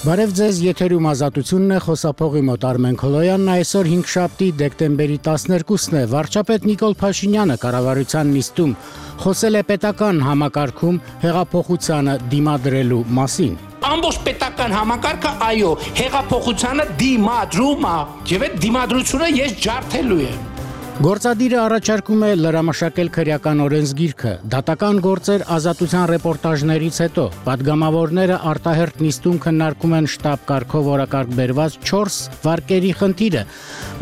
Բարև ձեզ, եթերում ազատությունն է, խոսափողի մոտ Արմեն Քոլոյանն, այսօր 5 դեկտեմբերի 12-ն է, վարչապետ Նիկոլ Փաշինյանը կառավարության նիստում խոսել է պետական համակարգում հեղափոխությանը դիմադրելու մասին։ Ամբողջ պետական համակարգը այո, հեղափոխությանը դիմադրում է, եւ այդ դիմադրությունը ես ջարդելու եմ։ Գործադիրը առաջարկում է լրամշակել քրեական օրենսգիրքը, դատական գործեր ազատության ռեպորտաժներից հետո, պատգամավորները արտահերթ նիստում քննարկում են շտաբ կարգով օրակարգ բերված 4 վարկերի խնդիրը։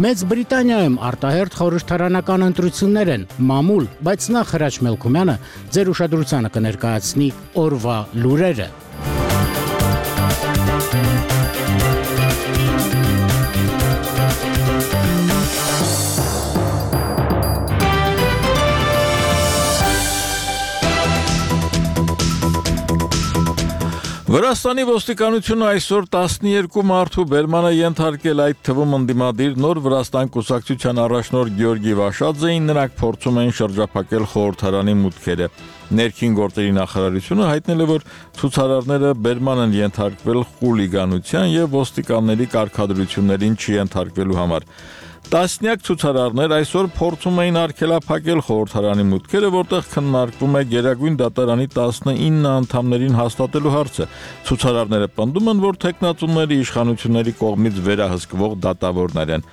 Մեծ Բրիտանիայում արտահերթ խորհրդարանական ընտրություններ են, մամուլ, բայց նախ Հրաչ Մելքումյանը ձեր ուշադրությանը կներկայացնի օրվա լուրերը։ Վրաստանի ոստիկանությունը այսօր 12 մարդու բերմանը ենթարկել, այդ թվում ընդդիմադիր Նոր Վրաստան կուսակցության առաջնորդ Գեորգի Վաշաձեին, նրանք փորձում էին շրջափակել խորհրդարանի մուտքերը։ Ներքին գործերի նախարարությունը հայտնել է, որ ցուցարարները բերման են ենթարկվել խուլիգանության եւ ոստիկանների կարգադրություններին չենթարկվելու համար։ Տասնյակ ցուցարարներ այսօր փորձում էին արգելափակել խորհրդարանի մուտքերը, որտեղ քննարկվում է Գերագույն դատարանի 19 անդամներին հաստատելու հարցը։ Ցուցարարները պնդում են, որ թեկնածուների իշխանությունների կողմից վերահսկվող դատավորներ են։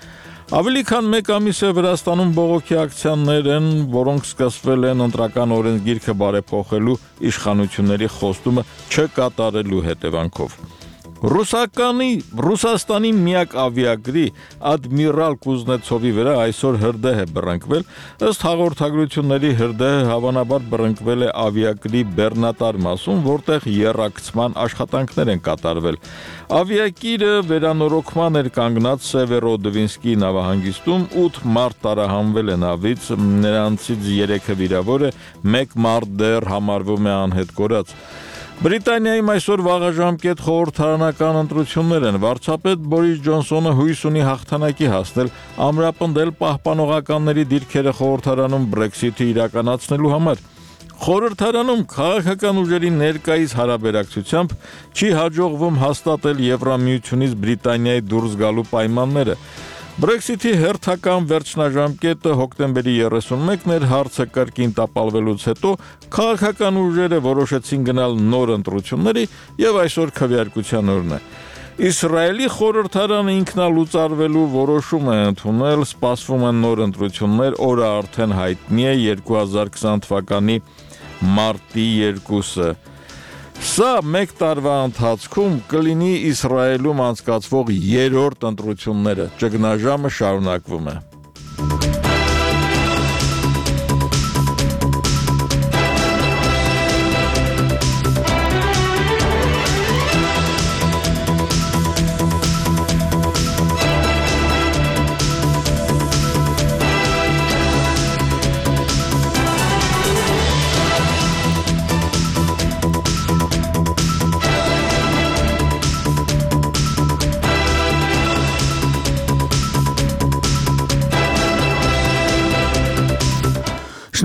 Ավելի քան 1 ամիս է Վրաստանում բողոքի ակցիաներ են, որոնք սկսվել են ընտրական օրենսգիրքը բարեփոխելու իշխանությունների խոստումը չկատարելու հետևանքով։ Ռուսաստանի միակ ավիագրի Ադմիրալ Կուզնեցովի վրա այսօր հրդեհ է բռնկվել, ըստ հաղորդագրությունների հրդեհը հավանաբար բռնկվել է ավիագրի բեռնատար մասում, որտեղ եռակցման աշխատանքներ են կատարվել։ Ավիակիրը վերանորոգման էր կանգնած Սևերոդվինսկի նավահանգիստում, 8 մարդ տարահանվել է նավից, նրանցից 3-ը վիրավոր է, 1 մարդ դեռ համարվում է անհետ կորած։ Բրիտանիայում այսօր վաղաժամկետ խորհրդարանական ընտրություններ են, վարչապետ Բորիս Ջոնսոնը հույս ունի հաղթանակի հասնել, ամրապնդել պահպանողականների դիրքերը խորհրդարանում Brexit-ը իրականացնելու համար։ Խորհրդարանում քաղաքական ուժերի ներկայիս հարաբերակցությամբ չի հաջողվում հաստատել Եվրամիությունից Բրիտանիայի դուրս գալու պայմանները։ Brexit-ի հերթական վերջնաժամկետը հոկտեմբերի 31-ն էր, հարցը կրկին տապալվելուց հետո քաղաքական ուժերը որոշեցին գնալ նոր ընտրությունների եւ այսօր քվեարկության օրն է։ Իսրայելի խորհրդարանը ինքնալուծարվելու որոշում է ընդունել, սպասվում են նոր ընտրություններ, օրը արդեն հայտնի է 2020 թվականի մարտի 2-ը։ Սա 1 տարվա ընթացքում կլինի Իսրայելում անցկացվող 3-րդ ընտրությունները, ճգնաժամը շարունակվում է։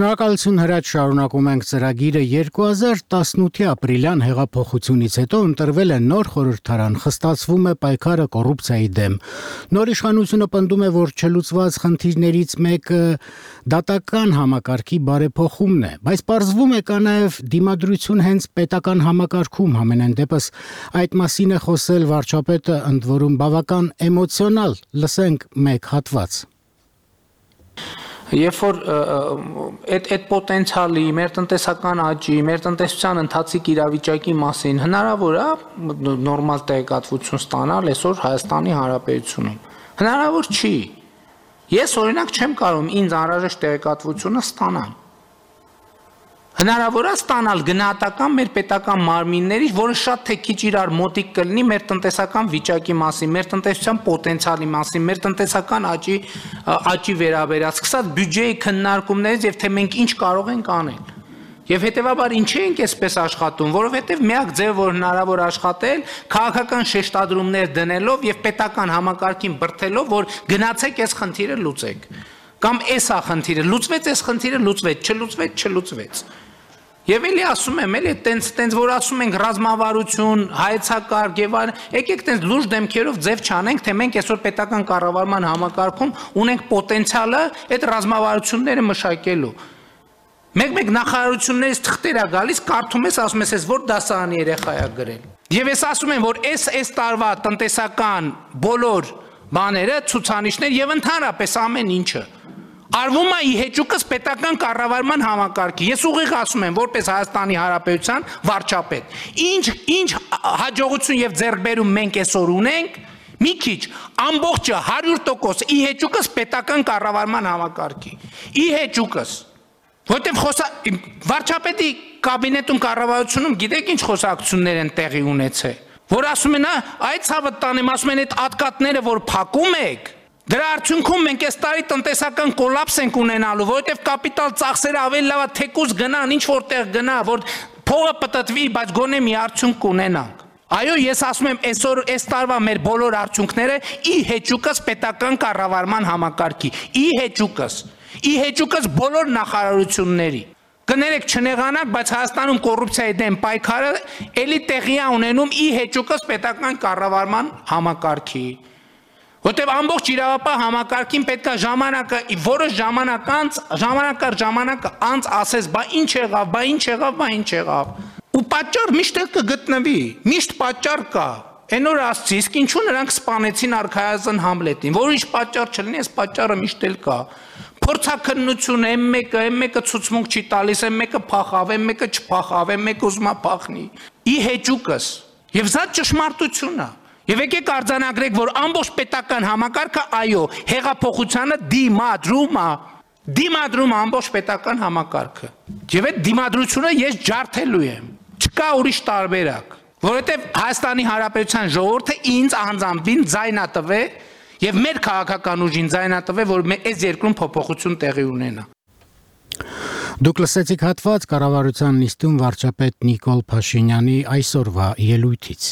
Շնորհակալություն Հրաչ, շարունակում ենք ծրագիրը 2018-ի ապրիլյան հեղափոխությունից հետո ընտրվել է նոր խորհրդարան, խստացվում է պայքարը կոռուպցիայի դեմ։ Նոր իշխանությունը պնդում է, որ չլուծված խնդիրներից մեկը դատական համակարգի բարեփոխումն է, բայց պարզվում է կա նաև դիմադրություն հենց պետական համակարգում, համենայն դեպս այդ մասին է խոսել վարչապետը, ընդ որում բավական էմոցիոնալ, լսենք մեկ հատված։ Երբ որ այդ պոտենցիալի, մեր տնտեսական աճի, մեր տնտեսության ընթացիկ իրավիճակի մասին հնարավոր է նորմալ տեղեկատվություն ստանալ այսօր Հայաստանի Հանրապետությունում։ Հնարավոր չի։ Ես օրինակ չեմ կարող ինձ անհրաժեշտ տեղեկատվությունը ստանալ։ Հնարավոր է ստանալ գնահատական մեր պետական մարմիններից, որը շատ թե քիչ իրար մոտիկ կլինի մեր տնտեսական վիճակի մասին, մեր տնտեսության պոտենցիալի մասին, մեր տնտեսական աճի վերաբերյալ, սկսած բյուջեի քննարկումներից եւ թե մենք ինչ կարող ենք անել։ Եվ հետեւաբար ինչի ենք այսպես աշխատում, որովհետեւ միակ ձևը, որ հնարավոր աշխատել, քաղաքական շեշտադրումներ դնելով եւ պետական համակարգին բրթելով, որ գնացեք այս խնդիրը լուծեք։ Կամ էս է խնդիրը, լուծվեց այս խնդիրը, լուծվեց, չլուծվեց, չլուծվեց։ Եվ էլի ասում եմ, էլի տենց որ ասում ենք ռազմավարություն, հայեցակարգ եւ այլն, եկեք տենց լուրջ դեմքերով ձև չանենք, թե մենք այսօր պետական կառավարման համակարգում ունենք պոտենցիալը այդ ռազմավարությունները մշակելու։ Մեկ նախարարություններից թղթեր է գալիս, կարդում ես, ասում ես, որ դասարանի երեխա է գրել։ Եվ ես ասում եմ, որ այս տարվա տնտեսական բոլոր բաները, ցուցանիշներ եւ ընդհանրապես ամեն ինչը արվում է ի հեճուկս պետական կառավարման համակարգի։ Ես ուղիղ ասում եմ, որպես Հայաստանի Հանրապետության վարչապետ, ինչ հաջողություն եւ ձեռքբերում մենք այսօր ունենք, մի քիչ ամբողջը 100% ի հեճուկս պետական կառավարման համակարգի։ Ի հեճուկս Որտեւ վարչապետի կաբինետում կառավարությունում գիտեք ինչ խոսակցություններ են տեղի ունեցել, որ ասում են, այդ ցավը տանեմ, ասում են այդ ատկատները, որ փակում եք, դրա արդյունքում մենք այս տարի տնտեսական կոլապս ենք ունենալու, որովհետեւ կապիտալ ծախսերը ավելի լավ է թեկուզ գնան, ինչ որտեղ գնա, որ փողը պտտվի, բայց գոնե մի արդյունք կունենանք։ Այո, ես ասում եմ, այսօր այս տարվա մեր բոլոր արդյունքները ի հեճուկս պետական կառավարման համակարգի, ի հեճուկս բոլոր նախարարությունների։ Կներեք չնեղանանք, բայց Հայաստանում կոռուպցիայի դեմ պայքարը էլի տեղի է ունենում ի հեճուկս պետական կառավարման համակարգի։ Որտեւ ամբողջ իրավապահ համակարգին պետք է որոշ ժամանակ անց ասես, բա ինչ եղավ։ Ու պատճառ միշտ կգտնվի, միշտ պատճառ կա։ Այն օր ասցի, իսկ ինչու նրանք սպանեցին արքայազն Համլետին, որ ինչ պատճառ չլինի, այս պատճառը միշտ էլ կա։ Փորձաքննություն, մեկը ցուցմունք չի տալիս, մեկը փախավ, մեկը չփախավ, մեկը ուզում է փախնի։ Ի հեճուկս։ Եվ սա ճշմարտություն է։ Եվ եկեք արձանագրենք, որ ամբողջ պետական համակարգը այո, հեղափոխությանը դիմադրում ամբողջ պետական համակարգը։ Եվ այդ դիմադրությունը ես ջարդելու եմ։ Չկա ուրիշ տարբերակ, որովհետև Հայաստանի Հանրապետության ժողովուրդը ինձ անձամբին ձայնա տվել եւ մեր քաղաքական ուժին ձայնա տվել, որ այս երկրում փոփոխություն տեղի ունենա։ Դուք լսեցիք հատված կառավարության նիստում վարչապետ Նիկոլ Փաշինյանի այսօրվա ելույթից։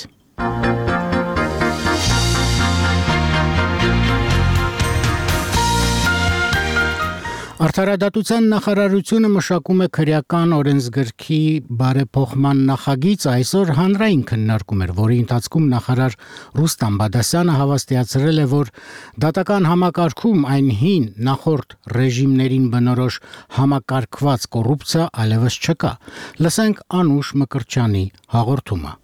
Արդարադատության նախարարությունը մշակում է քրեական օրենսգրքի բարեփոխման նախագիծ, այսօր հանրային քննարկում էր, որի ընթացքում նախարար Ռուստամ Բադասյանը հավաստիացրել է, որ դատական համակարգում այն հին նախորդ ռեժիմներին բնորոշ համակարգված կոռուպցիա այլևս չկա։ Լսենք Անուշ Մկրտչյանի հաղորդումը։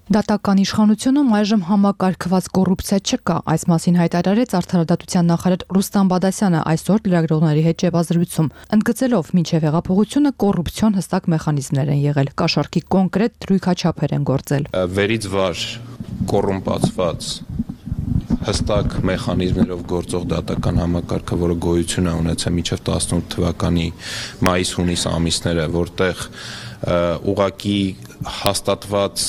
Դատական իշխանությունում այժմ համակարգված կոռուպցիա չկա, այս մասին հայտարարեց Արդարադատության նախարար Ռուստամ Բադասյանը այսօր լրագրողների հետ ճեպազրույցում, ընդգծելով մինչև հեղափոխությունը կոռուպցիոն հստակ մեխանիզմներ են եղել, կաշառքի կոնկրետ դրույքաչափեր են գործել։ Վերից վար կոռումպացված հստակ մեխանիզմներով գործող դատական համակարգը, որը գոյություն է ունեցել մինչև 18 թվականի մայիս-հունիս ամիսները, որտեղ ուղղակի հաստատված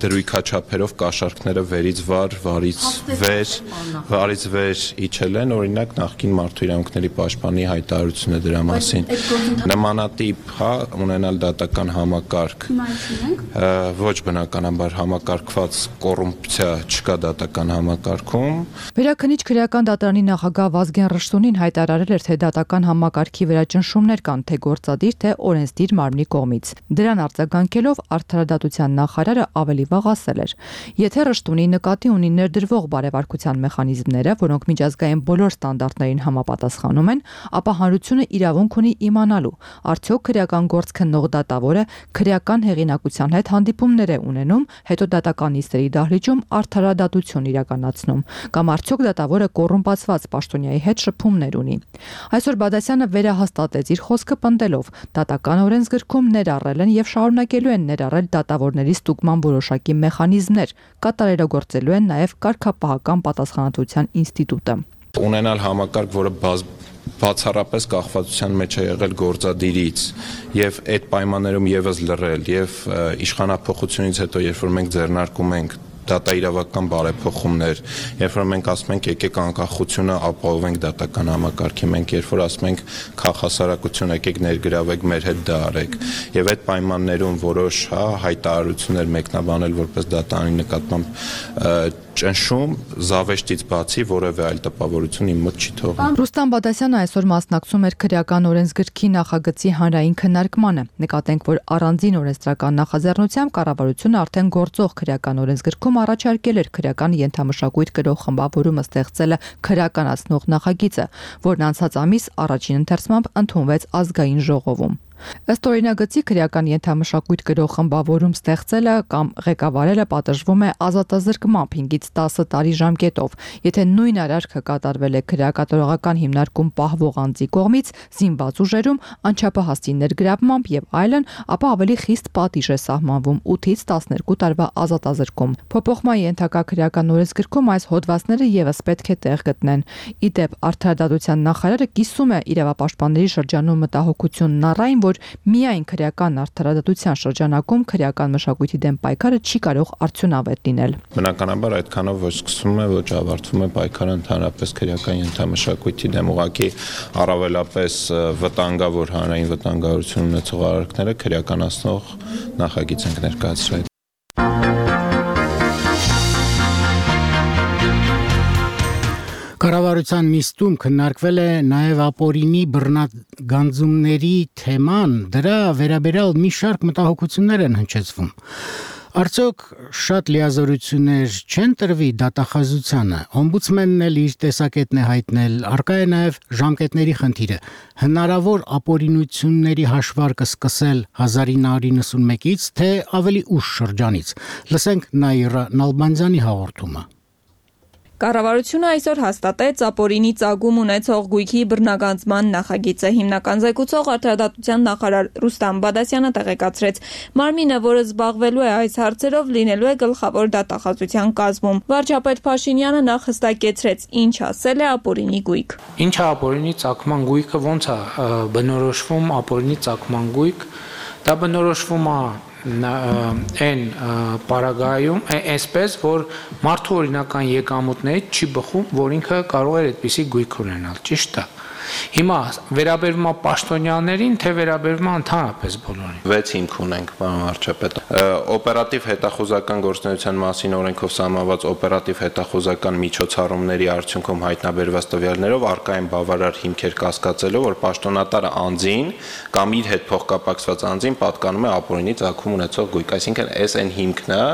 դրույքաչափերով կաշառքները վերից վար, վարից վեր իջել են, օրինակ նախկին մարդու իրավունքների պաշտպանի հայտարարությունը դրա մասին։ Նմանատիպ ունենալ դատական համակարգ, ոչ բնականաբար համակարգված կոռուպցիա չկա դատական համակարգում։ Վերաքննիչ քրեական դատարանի նախագահ Վազգեն Ռշտունին հայտարարել էր, թե դատական համակարգի վերաճնշումներ կան, թե գործադիր, թե օրենսդիր մարմնի կողմից։ Դրան արձագանքելով Արդարադատության նախարարը ավելի վաղ ասել էր. Եթե Ռշտունի նկատի ունի ներդրվող բարեվարկության մեխանիզմները, որոնք միջազգային բոլոր ստանդարտներին համապատասխանում են, ապա հանրությունը իրավունք ունի իմանալու, արդյոք քրեական գործ քննող դատավորը քրեական հեղինակության հետ հանդիպումներ է ունենում, հետո դատական նիստերի դահլիճում արդարադատություն իրականացնում, կամ արդյոք դատավորը կոռումպացված պաշտոնյայի հետ շփումներ ունի։ Այսօր Բադասյանը վերահաստատեց իր խոսքը պնդելով. դատական օրենսգրքում ներառել են եւ շարունակելու են ներառել դատավորների ստուգման որոշակի մեխանիզմներ, կատարելագործելու են նաեւ կարգապահական պատասխանատվության ինստիտուտը։ Ունենալ համակարգ, որը բացառապես կախվածության մեջ է եղել գործադիրից եւ այդ պայմաններում եւս լռել եւ իշխանապողությունից հետո, երբ որ մենք ձեռնարկում ենք դատաիրավական բարեփոխումներ, երբ որ մենք ասում ենք եկեք անկախությունը ապահովենք դատական համակարգի, մենք երբ որ ասում ենք քաղաքասարակություն եկեք ներգրավեք մեր հետ դա արեք, եւ այդ պայմաններում որոշ հայտարարություններ մեկնաբանել որպես դատարանի նկատմամբ ճնշում զավեշտից բացի որևէ այլ տպավորություն իմ մոտ չի թողնում։ Ռուստամ Բադասյանը այսօր մասնակցում էր քրեական օրենսգրքի նախագծի հանրային քննարկմանը։ Նկատենք, որ առանձին օրենսդրական նախաձեռնությամբ կառավարությունը արդեն գործող քրեական օրենսգրքում առաջարկել էր քրեական ենթամշակույթ կրող խմբավորումը ստեղծելը քրեականացնող նախագիծը, որն անցած ամիս առաջին ընթերցմամբ ընդունվեց ազգային ժողովում։ Ըստ օրինագծի քրեական ենթամշակույթ կրող խմբավորում ստեղծելը կամ ղեկավարելը պատժվում է ազատազրկմամբ 5-ից 10 տարի ժամկետով, եթե նույն արարքը կատարվել է քրեակատարողական հիմնարկում պահվող անձի կողմից, զինված ուժերում, անչափահասի ներգրավմամբ եւ այլն, ապա ավելի խիստ պատիժ է սահմանվում 8-ից 12 տարվա ազատազրկում։ Փոփոխման ենթակա քրեական օրենսգրքում այս հոդվածները եւս պետք է տեղ գտնեն։ Ի դեպ, Արդարադատության նախարարը կիսում է իրավապաշտպանների շրջանում մտահոգությունն առայն, որ միայն քրեական արդարադատության շրջանակում քրեական մշակույթի դեմ պայքարը չի կարող արդյունավետ լինել։ Բնականաբար այդքանով ոչ սկսվում է, ոչ ավարտվում է պայքարը ընդհանրապես քրեական ենթամշակույթի դեմ, ուղղակի առավելապես վտանգավոր հանրային վտանգավորություն ունեցող արարքները քրեականացնող նախագիծ ենք ներկայացրել։ Կառավարության նիստում քննարկվել է նաև ապօրինի բռնագանձումների թեման, դրա վերաբերյալ մի շարք մտահոգություններ են հնչեցվում։ Արդյոք շատ լիազորություններ չեն տրվի դատախազությանը, օմբուդսմենն էլ իր տեսակետն է հայտնել, առկա է նաև ժամկետների խնդիրը, հնարավոր ապօրինությունների հաշվարկը սկսել 1991-ից, թե ավելի ուշ շրջանից։ Լսենք Նաիրա Նալբանդյանի հաղորդումը։ Կառավարությունը այսօր հաստատեց ապօրինի ծագում ունեցող գույքի բռնագանձման նախագիծը։ Հիմնական զեկուցող Արդարադատության նախարար Ռուստամ Բադասյանը տեղեկացրեց, մարմինը, որը զբաղվելու է այս հարցերով, լինելու է գլխավոր դատախազության կազմում։ Վարչապետ Փաշինյանը նախ հստակեցրեց, ինչ ասել է ապօրինի գույք։ Ինչ է ապօրինի ծագման գույքը, ոնց է բնորոշվում ապօրինի ծագման գույք, դա բնորոշվում է այն պարագայում այսպես, որ մարդու օրինական եկամուտներից չի բխում, որ ինքը կարող է այդպիսի գույք ունենալ, ճիշտ է։ Հիմա վերաբերվում է պաշտոնյաներին, թե վերաբերվում է ընդհանրապես բոլորին։ 6 հիմք ունենք, պարոն վարչապետ։ Օպերատիվ հետախուզական գործունեության մասին օրենքով սահմանված օպերատիվ հետախուզական միջոցառումների արդյունքում հայտնաբերված տվյալներով առկա են բավարար հիմքեր կասկածելով, որ պաշտոնատարը անձին կամ իր հետ փոխկապակցված անձին պատկանում է ապօրինի ծագում ունեցող գույք, այսինքն այս այն հիմքն է,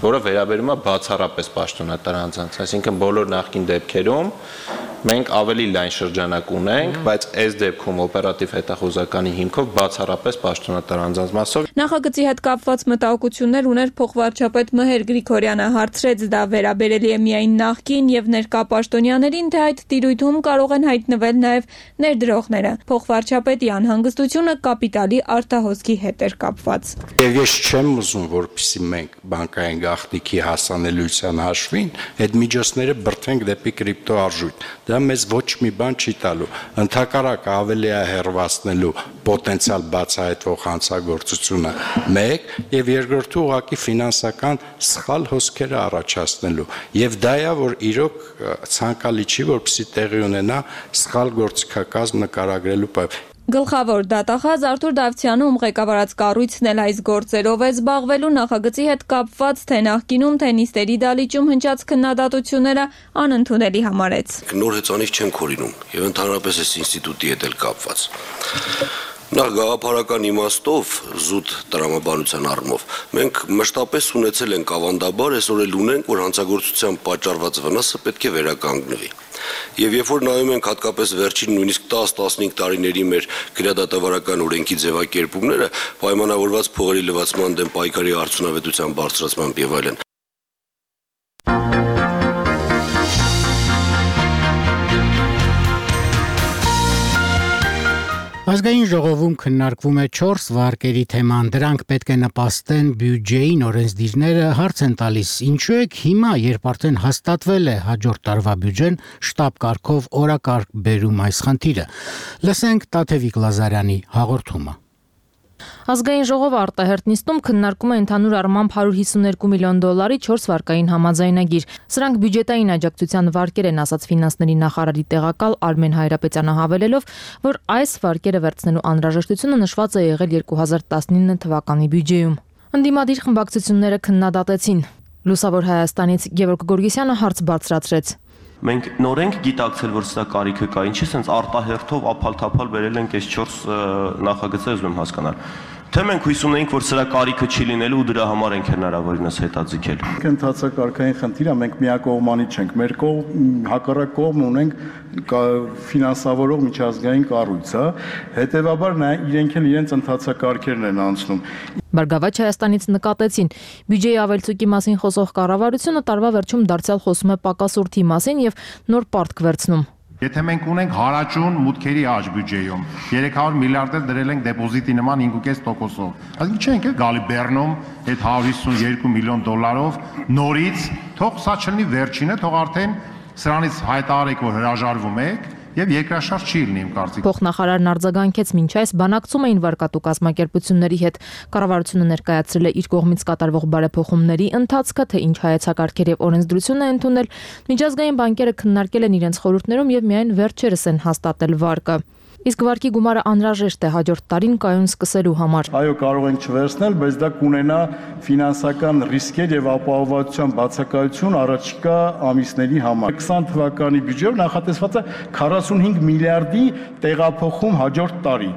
որը վերաբերում է բացառապես պաշտոնատար անձանց, այսինքն բոլոր նախկին դեպքերում մենք ավելի լայն շրջանակ ունենք, բայց այս դեպքում օպերատիվ հետախուզականի հիմքով բացառապես պաշտոնատար անձանց մասով։ Նախագծի հետ կապված մտահոգություններ ուներ փոխվարչապետ Մհեր Գրիգորյանը, հարցրեց դա վերաբերելի է միայն նախկին եւ ներկա պաշտոնյաներին, թե այդ տիրույթում կարող են հայտնվել նաեւ ներդրողները։ Փոխվարչապետի անհանգստությունը կապիտալի արտահոսքի հետ էր կապված։ Եվ ես չեմ ուզում, որպեսզի մենք բանկային գաղտնիքի հասանելիության հաշվին այդ միջոցները բրթենք դեպի կրիպտո արժույթ։ Դա մեզ ոչ մի բան չի տալու, ընդհակառակը ավելի է հեռացնելու պոտենցիալ բացահայտվող հանցագործությունը մեկ եւ երկրորդը ուղղակի ֆինանսական սխալ հոսքերը առաջացնելու եւ դա է որ իրոք ցանկալի չի որպեսզի տեղի ունենա սխալ գործիքակազմ նկարագրելու պայմաններով։ Գլխավոր դատախազ Արթուր Դավթյանը, ում ղեկավարած կառույցն էլ այս գործերով է զբաղվելու, նախագծի հետ կապված թե նախկինում, թե նիստերի դալիճում հնչած քննադատությունները անընդունելի համարեց։ Նոր հեծանիվ չենք հորինում եւ ընդհանրապես այս ինստիտուտի հետ էլ կապված։ Նախ գաղափարական իմաստով զուտ տրամաբանության առումով մենք մշտապես ունեցել ենք ավանդաբար, այսօր էլ ունենք, որ հանցագործության պատճառված վնասը պետք է վերականգնվի։ Եվ երբ որ նայում ենք հատկապես վերջին նույնիսկ 10-15 տարիների մեր քրեադատավարական օրենքի ձևակերպումները, պայմանավորված փողերի լվացման դեմ պայքարի արդյունավետության բարձրացմամբ եւ այլն։ Ազգային ժողովում քննարկվում է 4 վարկերի թեման, դրանք պետք է նպաստեն բյուջեին, օրենսդիրները հարց են տալիս, ինչու է հիմա, երբ արդեն հաստատվել է հաջորդ տարվա բյուջեն, շտաբ կարգով օրակարգ բերում այս խնդիրը։ Լսենք Տաթևիկ Լազարյանի հաղորդումը։ Ազգային ժողովը արտահերթ նիստում քննարկում է ընդհանուր առմամբ $152 միլիոն 4 վարկային համաձայնագիր։ Սրանք բյուջետային աջակցության վարկեր են, ասաց ֆինանսների նախարարի տեղակալ Արմեն Հայրապետյանը, հավելելով, որ այս վարկերը վերցնելու անհրաժեշտությունը նշված է եղել 2019 թվականի բյուջեում։ Ընդդիմադիր խմբակցությունները քննադատեցին։ Լուսավոր Հայաստանից Գևորգ Գորգիսյանը հարց բարձրացրեց. Մենք նոր ենք գիտակցել, որ սա կարիքը կա, ինչի sense արտահերթով ափալ-թափալ վերել ենք այս 4 նախագծեր, ուզում եմ հասկանալ։ Թե մենք հույս ունենք, որ սրա կարիքը չի լինելու ու դրա համար ենք հնարավորինս հետաձգել։ Ընթացակարգային խնդիրը մենք միակողմանի չենք, մեր հակառակ կողմ ունենք ֆինանսավորող միջազգային կառույց, հետևաբար իրենք էլ իրենց ընթացակարգերն են անցնում։ Բարգավաճ Հայաստանից նկատեցին, բյուջեի ավելցուկի մասին խոսող կառավարությունը տարվա վերջում դարձյալ խոսում է պակասուրդի մասին եւ նոր պարտք վերցնում։ Եթե մենք ունենք հարաճուն մուտքերի աճ բյուջեում, 300 միլիարդ էլ դրել ենք դեպոզիտի նման 5.5%-ով, այսինքն չենք գալի Բեռնում այդ 152 միլիոն դոլարով նորից, թող սա չլինի վերջինը, թող արդեն սրանից հայտարարեք, որ հրաժարվում եք եւ երկրաշարժ չի լինի իմ կարծիքով։ Փոխնախարարն արձագանքեց, մինչ այս բանակցում էին վարկատու կազմակերպությունների հետ։ Կառավարությունը ներկայացրել է իր կողմից կատարվող բարեփոխումների ընթացքը, թե ինչ հայեցակարգեր եւ օրենսդրություն է ընդունել։ Միջազգային բանկերը քննարկել են իրենց խորհուրդներում եւ միայն վերջերս են հաստատել վարկը։ Իսկ վարկի գումարը անհրաժեշտ է հաջորդ տարին կայուն սկսելու համար։ Այո, կարող ենք չվերցնել, բայց դա կունենա ֆինանսական ռիսկեր եւ ապահովության բացակայություն առաջիկա ամիսների համար։ 20 թվականի բյուջեով նախատեսված է 45 միլիարդի տեղափոխում հաջորդ տարի։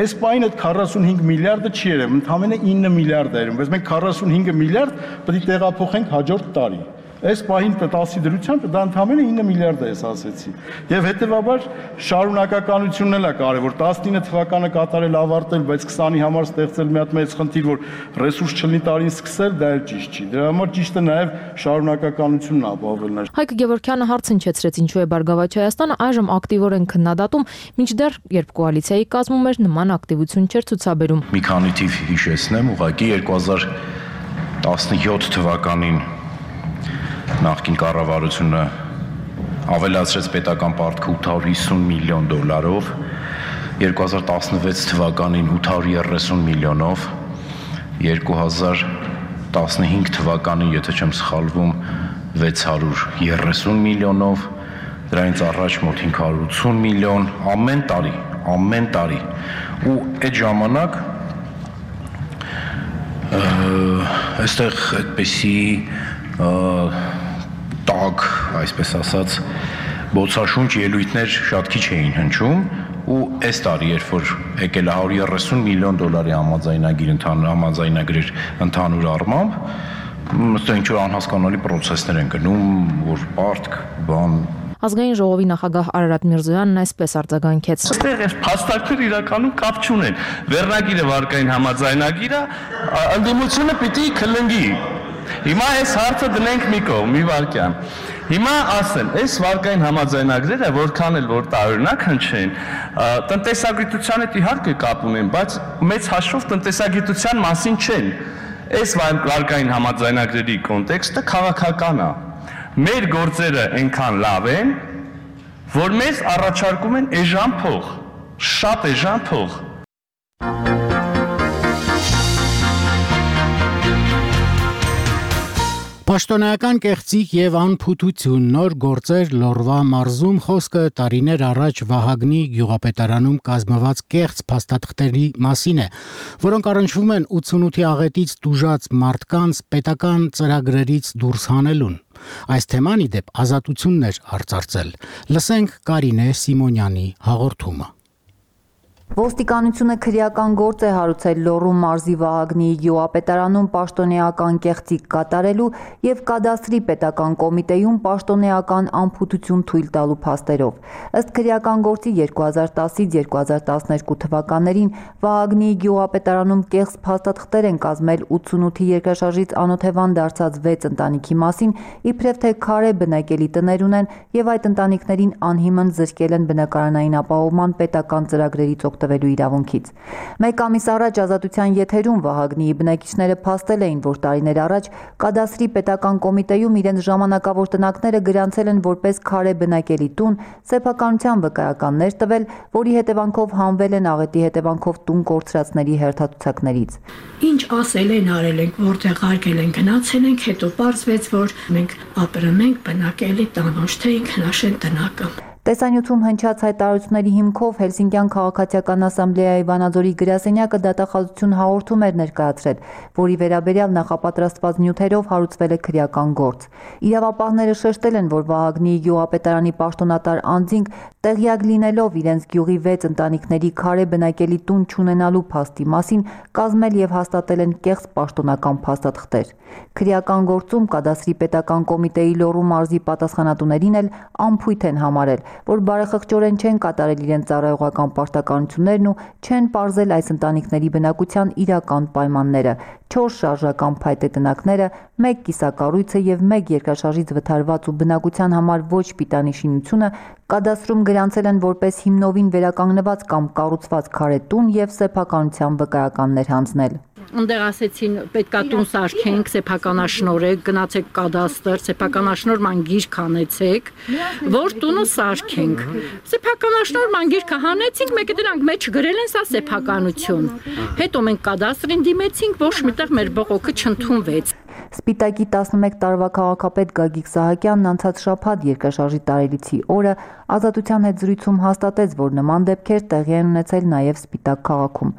Այս պայն այդ 45 միլիարդը չի երևում, ընդամենը 9 միլիարդ է երևում, բայց մենք 45 միլիարդ պետք է տեղափոխենք հաջորդ տարի։ Այս պահին 10-ի դրությամբ դա ընդամենը 9 միլիարդ է, ես ասեցի։ Եվ հետևաբար շարունակականությունն էլ է կարևոր։ 19 թվականը կատարել ավարտել, բայց 20-ի համար ստեղծել մի հատ մեծ խնդիր, որ ռեսուրս չլինի տարին սկսել, դա էլ ճիշտ չի։ Դրա համար ճիշտ է նաև շարունակականությունն ապահովելն է։ Հայկ Գևորգյանը հարց հնչեցրեց, ինչու է Բարգավաճ Հայաստանը այժմ ակտիվորեն քննադատում, մինչդեռ երբ կոալիցիայի կազմում էր նման ակտիվություն չէր ցուցաբերում։ Մի քանի թիվ հիշեցնեմ, ուղղակի 2017 թվականին նախկին կառավարությունը ավելացրեց պետական պարտքը 850 միլիոն դոլարով, 2016 թվականին 830 միլիոնով, 2015 թվականին, եթե չեմ սխալվում, 630 միլիոնով, դրանից առաջ մոտ 580 միլիոն ամեն տարի։ Ու այդ ժամանակ այստեղ այդպեսի տակ, այսպես ասած, բոցաշունչ ելույթներ շատ քիչ էին հնչում ու այս տարի, երբ որ եկել է 130 միլիոն դոլարի համաձայնագրեր ընդհանուր առմամբ, ըստ ինչ-որ անհասկանալի պրոցեսներ են գնում, որ պարտք, բան։ Ազգային ժողովի նախագահ Արարատ Միրզոյանն այսպես արձագանքեց. Այստեղ այս փաստարկները իրականում կապ չունեն։ Վերնագիրը վարկային համաձայնագիրը, ընդդիմությունը պիտի քլնգի։ Հիմա այս հարցը դնենք մի կողմ, մի վարքյան։ Հիմա ասեմ, այս վարկային համաձայնագրերը որքան էլ որ տարօրինակ հնչեն, տնտեսագիտության հետ իհարկե կապ ունեն, բայց մեծ հաշվով տնտեսագիտության մասին չեն։ Այս վարկային համաձայնագրերի կոնտեքստը քաղաքական է։ Մեր գործերը այնքան լավ են, որ մեզ առաջարկում են էժան փող, շատ էժան փող։ Պաշտոնական կեղծիք եւ անփութություն նոր գործեր Լոռվա մարզում խոսքը տարիներ առաջ Վահագնի գյուղապետարանում կազմված կեղծ փաստաթղթերի մասին է, որոնք առնչվում են 88-ի աղետից տուժած մարդկանց պետական ծրագրերից դուրս հանելուն։ Այս թեման ի դեպ Ազատությունն էր արծարծել։ Լսենք Կարինե Սիմոնյանի հաղորդումը։ Ոստիկանությունը քրեական գործ է հարուցել Լոռու մարզի Վահագնի գյուղապետարանում պաշտոնեական կեղծիք կատարելու եւ կադաստրի պետական կոմիտեում պաշտոնեական անփութություն թույլ տալու փաստերով։ Ըստ քրեական գործի 2010-ից 2012 թվականներին Վահագնի գյուղապետարանում կեղծ փաստաթղթեր են կազմել 88-ի երկրաշարժից անօթևան դարձած 6 ընտանիքի մասին, իբրև թե քարե բնակելի տներ ունեն եւ այդ ընտանիքներին անհիմն զրկել են բնակարանային ապահովման պետական ծրագրերից օգտվելու իրավունքից։ Մեկ ամիս առաջ Ազատության եթերում Վահագնիի բնակիչները փաստել էին, որ տարիներ առաջ կադաստրի պետական կոմիտեում իրենց ժամանակավոր տնակները գրանցել են որպես քարե բնակելի տուն, սեփականության վկայականներ տվել, որի հետևանքով հանվել են աղետի հետևանքով տուն կորցրածների հերթացուցակներից։ Ինչ ասել են, արել ենք, որտեղ արկել են, գնացել ենք, հետո պարզվեց, որ մենք ապրում ենք բնակելի տան, ոչ թե ինքնաշեն տնակը։ Տեսանյութում հնչած հայտարարությունների հիմքով Հելսինկյան քաղաքացիական ասամբլեայի Վանաձորի գրասենյակը դատախազություն հաղորդում էր ներկայացրել, որի վերաբերյալ նախապատրաստված նյութերով հարուցվել է քրեական գործ։ Իրավապահները շեշտել են, որ Վահագնի գյուղապետարանի պաշտոնատար անձինք տեղյակ լինելով իրենց գյուղի 6 ընտանիքների քարե բնակելի տուն չունենալու փաստի մասին կազմել եւ հաստատել են կեղծ պաշտոնական փաստաթղթեր։ Քրեական գործում կադաստրի պետական կոմիտեի Լոռու մարզի պատասխանատուներին էլ անփույթ են համարել, որ բարեխղճորեն չեն կատարել իրենց ծառայողական պարտականություններն ու չեն պարզել այս ընտանիքների բնակության իրական պայմանները, 4 շարժական փայտե տնակները, 1 կիսակառույցը եւ 1 երկրաշարժից վթարված ու բնակության համար ոչ պիտանի շինությունը կադաստրում գրանցել են որպես հիմնովին վերականգնված կամ կառուցված քարե տուն եւ սեփականության վկայականներ հանձնել։ Ընդեղ ասեցին պետքա տուն սարքենք, սեփականաշնորհեք, գնացեք կադաստր, սեփականաշնոր մանգիրք հանեցեք, որ տունը սարքենք։ Սեփականաշնոր մանգիրքը հանեցինք, մեկը դրանք մեջ գրել են սա սեփականություն։ Հետո մենք կադաստրին դիմեցինք, ոչ միտեղ մեր բողոքը չընդունվեց։ Սպիտակի 11 տարվա քաղաքապետ Գագիկ Սահակյանն անցած շաբաթ երկրաշարժի տարելիցի օրը Ազատության հետ զրույցում հաստատեց, որ նման դեպքեր տեղի են ունեցել նաև Սպիտակ քաղաքում։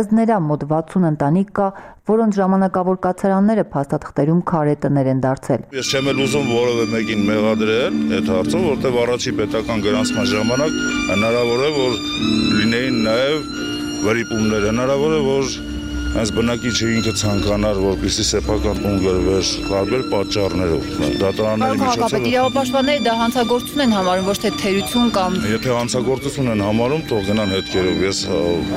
Ըստ նրա մոտ 60 ընտանիք կա, որոնց ժամանակավոր կացարանները փաստաթղթերում քարե տներ են դարձել։ Ես չեմ էլ ուզում որևէ մեկին մեղադրել այդ հարցը, որտեղ առաջի պետական գրանցման ժամանակ հնարավոր է, որ լինեին նաև վրիպումներ, հնարավոր է, որ այս բնակիչը ինքը ցանկանար, որպեսզի սեփական տուն գրվեր տարբեր պատճառներով։ Դատարանների միջոցով իրավապաշտպանները դա հանցագործություն են համարում, ոչ թե թերություն կամ Եթե հանցագործություն են համարում, թող գնան հետքերով, ես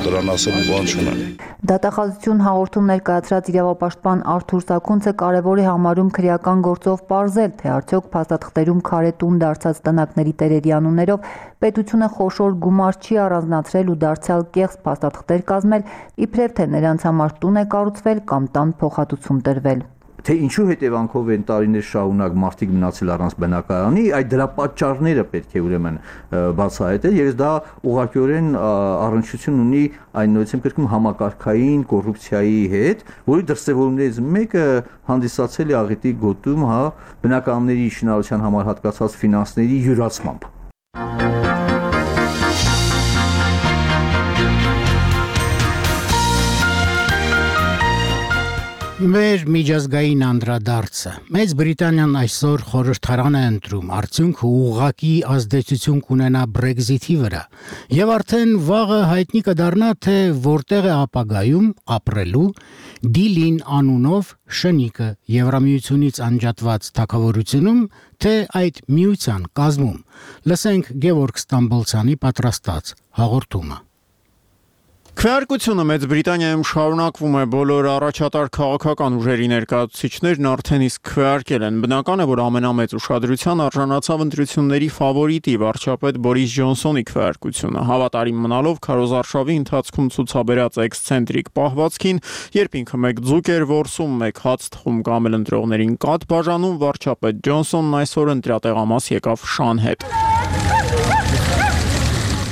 դրան ասելու բան չունեմ։ Դատախազություն հաղորդում ներկայացրած իրավապաշտպան Արթուր Սաքունցը կարևոր է համարում քրեական գործով պարզել, թե արդյոք փաստաթղթերում քարե տուն դարձած տնակների տերերի անուններով պետությունը խոշոր գումար չի առանձնացրել ու դարձյալ կեղծ փաստաթղթեր կազմել, իբրև թե նրանց համար տուն է կառուցվել կամ տան փոխհատուցում տրվել։ Թե ինչու հետևանքով են տարիներ շարունակ մարդիկ մնացել առանց բնակարանի, այդ դրա պատճառները պետք է ուրեմն բացահայտել, եւ դա ուղղակիորեն առնչություն ունի այն նույնիսկ կրկնում համակարգային կոռուպցիայի հետ, որի դրսևորումներից մեկը հանդիսացել է աղետի գոտում, բնակարանների շինարարության համար հատկացած ֆինանսների յուրացմամբ։ Մեր միջազգային անդրադարձը։ Մեծ Բրիտանիան այսօր խորհրդարան է ընտրում, արդյունքը ուղղակի ազդեցություն կունենա Brexit-ի վրա, եւ արդեն վաղը հայտնի կդառնա, թե որտեղ է ապագայում ապրելու Դիլին անունով շնիկը Եվրամիությունից անջատված թագավորությունում, թե այդ միության կազմում։ Լսենք Գևորգ Ստամբոլցյանի պատրաստած հաղորդումը։ Քվեարկությունը Մեծ Բրիտանիայում շարունակվում է, բոլոր առաջատար քաղաքական ուժերի ներկայացուցիչներն արդեն իսկ քվեարկել են։ Բնական է, որ ամենամեծ ուշադրության արժանացավ ընտրությունների ֆավորիտի վարչապետ Բորիս Ջոնսոնի քվեարկությունը։ Հավատարիմ մնալով քարոզարշավի ընթացքում ցուցաբերած էքսցենտրիկ պահվածքին, երբ ինքը մեկ ձուկ էր որսում, մեկ հաց թխում կամ էլ ընտրողներին կաթ բաժանում, վարչապետ Ջոնսոնն այսօր ընտրատեղամաս եկավ շան հետ։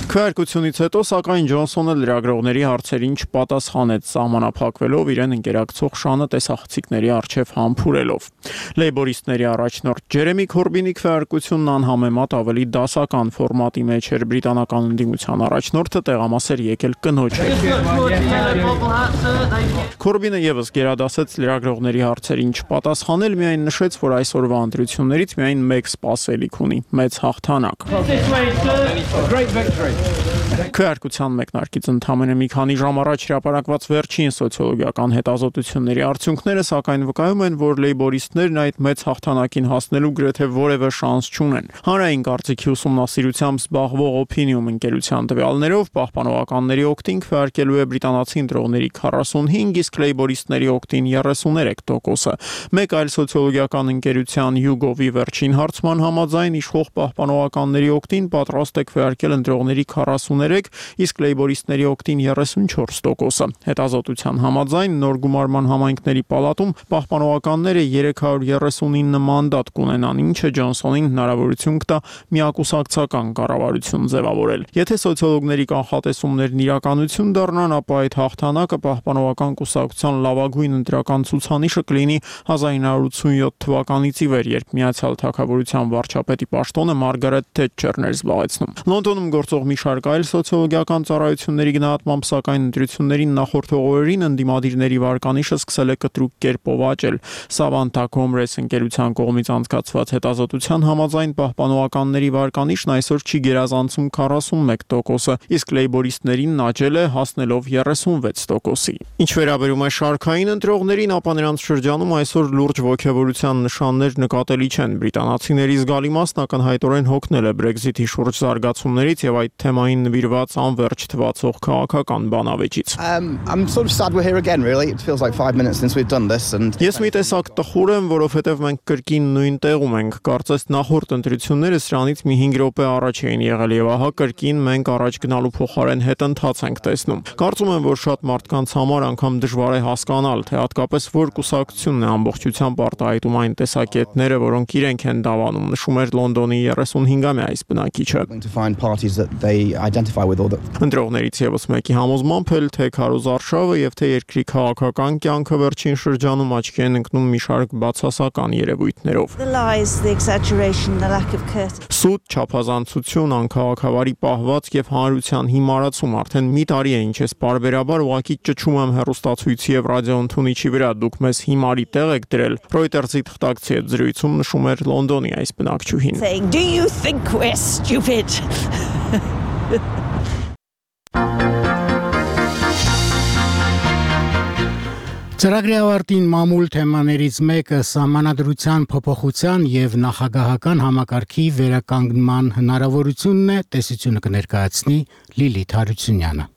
Քվեարկությունից հետո, սակայն Ջոնսոնը լրագրողների հարցերին չպատասխանեց, սահմանափակվելով իրեն ընկերակցող շանը տեսախցիկների առջև համբուրելով։ Լեյբորիստների առաջնորդ Ջերեմի Քորբինի քվեարկությունն անհամեմատ ավելի դասական ֆորմատի մեջ էր, բրիտանական ընդդիմության առաջնորդը տեղամաս էր եկել կնոջ հետ։ Քորբինը եւս գերադասեց լրագրողների հարցերին չպատասխանել, միայն նշեց, որ այսօրվա ընտրություններից միայն մեկ սպասելիք ունի՝ մեծ հաղթանակ։ Քվեարկության մեկնարկից ընդամենը մի քանի ժամ առաջ հրապարակված վերջին սոցիոլոգիական հետազոտությունների արդյունքները սակայն վկայում են, որ լեյբորիստներն այդ մեծ հաղթանակին հասնելու գրեթե որևէ շանս չունեն։ Հանրային կարծիքի ուսումնասիրությամբ զբաղվող Opinium ընկերության տվյալներով պահպանողականների օգտին քվեարկելու է բրիտանացի ընտրողների 45, իսկ լեյբորիստների օգտին 33%։ Մեկ այլ սոցիոլոգիական ընկերության YouGov-ի վերջին հարցման համաձայն իշխող պահպանողականների օգտին պատրաստ է քվեարկել ընտրողների 33, իսկ լեյբորիստների օգտին 34%-ը։ Հետազոտության համաձայն նոր գումարման համայնքների պալատում պահպանողականները 339 մանդատ կունենան, ինչը Ջոնսոնին հնարավորություն կտա միակուսակցական կառավարություն ձևավորել։ Եթե սոցիոլոգների կանխատեսումներն իրականություն դառնան, ապա այդ հաղթանակը պահպանողական կուսակցության լավագույն ընտրական ցուցանիշը կլինի 1987 թվականից ի վեր, երբ Միացյալ Թագավորության վարչապետի պաշտոնը Մարգարետ Թետչերն էր զբաղեցնում։ Լոնդոնում գործող մի շարք այլ սոցիոլոգիական ծառայությունների գնահատմամբ, սակայն ընտրություններին նախորդող օրերին ընդդիմադիրների վարկանիշը սկսել է կտրուկ կերպով աճել։ Savanta Comres ընկերության կողմից անցկացված հետազոտության համաձայն պահպանողականների վարկանիշն այսօր չի գերազանցում 41%-ը, իսկ լեյբորիստներին աճել է, հասնելով 36%-ի։ Ինչ վերաբերում է շարքային ընտրողներին, ապա նրանց շրջանում այսօր լուրջ ոգևորության նշաններ նկատելի չեն։ Բրիտանացիների զգալի մասն ակնհայտորեն հոգնել է Brexit-ի շուրջ զարգացումներից եւ այդ թեմային նվիրված անվերջ թվացող քաղաքական բանավեճից։ I'm sort of sad we're here again, really. It feels like 5 minutes since we've done this and Ես մի տեսակ տխուր եմ, որովհետև մենք կրկին նույն տեղում ենք։ Կարծես նախորդ ընտրությունները սրանից մի 5 րոպե առաջ էին եղել եւ ահա կրկին մենք առաջ գնալու փոխարեն հետընթաց ենք տեսնում։ Կարծում եմ, որ շատ մարդկանց համար անգամ դժվար է հասկանալ, թե հատկապես որ կուսակցությունն է ամբողջությամբ արտահայտում այն տեսակետները, որոնք իրենք են դավանում, նշում էր Լոնդոնի 35-ամյա այս բնակիչը։ Ընտրողներից եւս մեկի համոզմամբ էլ թե քարոզարշավը եւ թե երկրի քաղաքական կյանքը վերջին շրջանում աչքի են ընկնում մի շարք բացասական երևույթներով։ Սուտ, չափազանցություն, անքաղաքավարի պահվածք եւ հանրության հիմարացում արդեն մի տարի է ինչ ես բարբերաբար ուղակի ճչում եմ հեռուստացույցի եւ ռադիոընդունիչի վրա, դուք մեզ հիմարի տեղ եք դրել։ Reuters-ի թղթակցի հետ զրույցում նշում էր Լոնդոնի այս բնակչուհին։ Do you think we're stupid? Ծրագրի ավարտին մամուլ թեմաներից մեկը սահմանադրության փոփոխության եւ նախագահական համակարգի վերականգնման հնարավորությունն է, տեսությունը կներկայացնի Լիլիթ Հարությունյանը։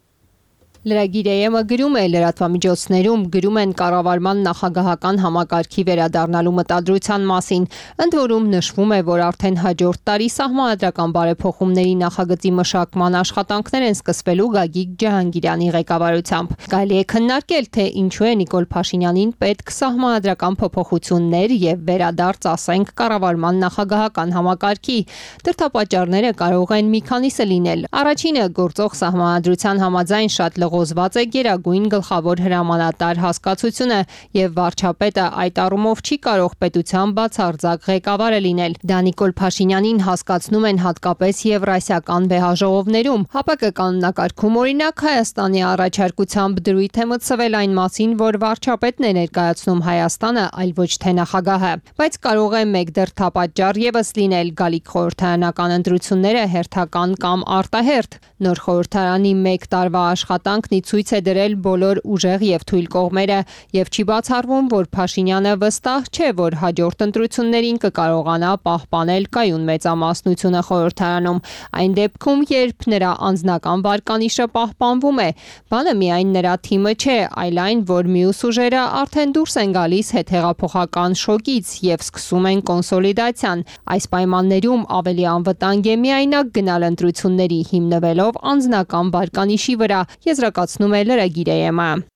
Լրագիր ԵՄ գրում է լրատվամիջոցներում գրում են կառավարման նախագահական համակարգի վերադառնալու մտադրության մասին, ընդ որում նշվում է, որ արդեն հաջորդ տարի սահմանադրական բարեփոխումների նախագծի մշակման աշխատանքներ են սկսվելու Գագիկ Ջահանգիրյանի ղեկավարությամբ։ Կարելի է քննարկել, թե ինչու է Նիկոլ Փաշինյանին պետք սահմանադրական փոփոխություններ եւ վերադարձ, ասենք, կառավարման նախագահական համակարգի։ Դրդապատճառները կարող են մի քանիսը լինել։ Առաջինը գործող սահմանադրության համաձայն շատ ղոզված է գերագույն գլխավոր հրամանատար հասկացությունը եւ վարչապետը այդ առումով չի կարող պետության բացարձակ ղեկավարը լինել։ Դա Նիկոլ Փաշինյանին հասկացնում են հատկապես եվրասիական վեհաժողովներում։ ՀԱՊԿ կանոնակարգում օրինակ Հայաստանի առաջարկությամբ դրույթ է մտցվել այն մասին, որ վարչապետն է ներկայացնում Հայաստանը, այլ ոչ թե նախագահը։ Բայց կարող է մեկ դրդապատճառ եւս լինել՝ գալիք խորհրդարանական ընտրությունները հերթական կամ արտահերթ։ Նոր խորհրդարանի 1 տարվա աշխատանքն ի ցույց է դրել բոլոր ուժեղ եւ թույլ կողմերը եւ չի բացառվում, որ Փաշինյանը վստահ չէ, որ հաջորդ ընտրություններին կկարողանա պահպանել կայուն մեծամասնությունը խորհրդարանում։ Այն դեպքում, երբ նրա անձնական վարկանիշը պահպանվում է, բանը միայն նրա թիմը չէ, այլ այն, որ մյուս ուժերը արդեն դուրս են գալիս հետհեղափոխական շոկից եւ սկսում են կոնսոլիդացիան։ Այս պայմաններում ավելի անվտանգ է միայնակ գնալ ընտրությունների հիմնվելով անձնական վարկանիշի վրա, եզրակացնում է լրագիր ԵՄ։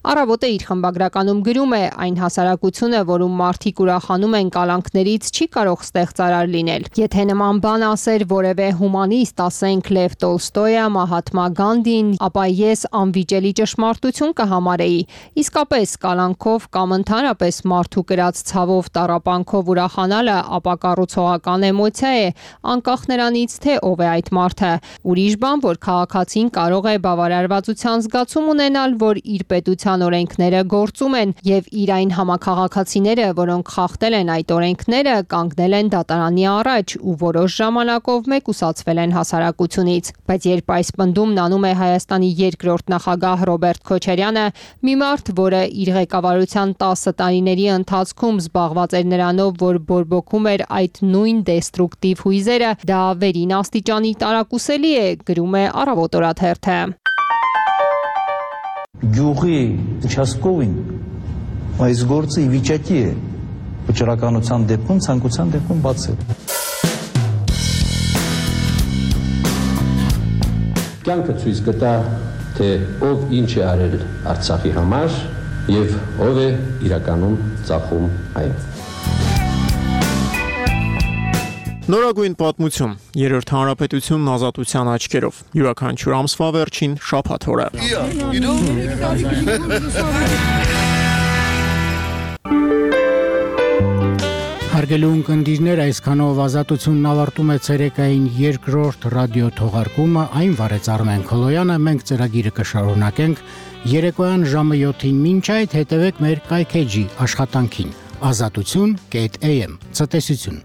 Առավոտը իր խմբագրականում գրում է. այն հասարակությունը, որում մարդիկ ուրախանում են կալանքներից, չի կարող ստեղծարար լինել։ Եթե նման բան ասեր որևէ հումանիստ, ասենք Լև Տոլստոյը, Մահատմա Գանդին, ապա ես անվիճելի ճշմարտություն կհամարեի։ Իսկապես կալանքով կամ ընդհանրապես մարդու կրած ցավով տառապանքով ուրախանալը ապակառուցողական էմոցիա է, անկախ նրանից, թե ով է այդ մարդը։ Ուրիշ բան, որ քաղաքացին կարող է բավարարվածության զգացում ունենալ, որ իր պետության օրենքները գործում են եւ իր այն համաքաղաքացիները, որոնք խախտել են այդ օրենքները, կանգնել են դատարանի առաջ ու որոշ ժամանակով մեկուսացվել են հասարակությունից։ Բայց երբ այս պնդումն անում է Հայաստանի երկրորդ նախագահ Ռոբերտ Քոչարյանը, մի մարդ, որը իր ղեկավարության 10 տարիների ընթացքում զբաղված էր նրանով, որ բորբոքում էր այդ նույն դեստրուկտիվ հույզերը, դա վերին աստիճանի տարակուսելի է, գրում է Առավոտ օրաթերթը։ Գյուղի участковին այս գործը ի վիճակի է վճռականության դեպքում, ցանկության դեպքում բացել։ Կյանքը ցույց կտա, թե ով ինչ է արել Արցախի համար եւ ով է իրականում ծախում այն։ Նորագույն պատմություն, երրորդ հանրապետությունն ազատության աչքերով, յուրաքանչյուր ամսվա վերջին շաբաթ օրը։ Հարգելի ունկնդիրներ, այսքանով ազատությունն ավարտում է ցերեկային երկրորդ ռադիո թողարկումը, այն վարեց Արմեն Քոլոյանը, մենք ծրագիրը կշարունակենք երեկոյան ժամը 7-ին, մինչ այդ հետևեք մեր կայքեջի աշխատանքին, azatutsun.am, ցտեսություն։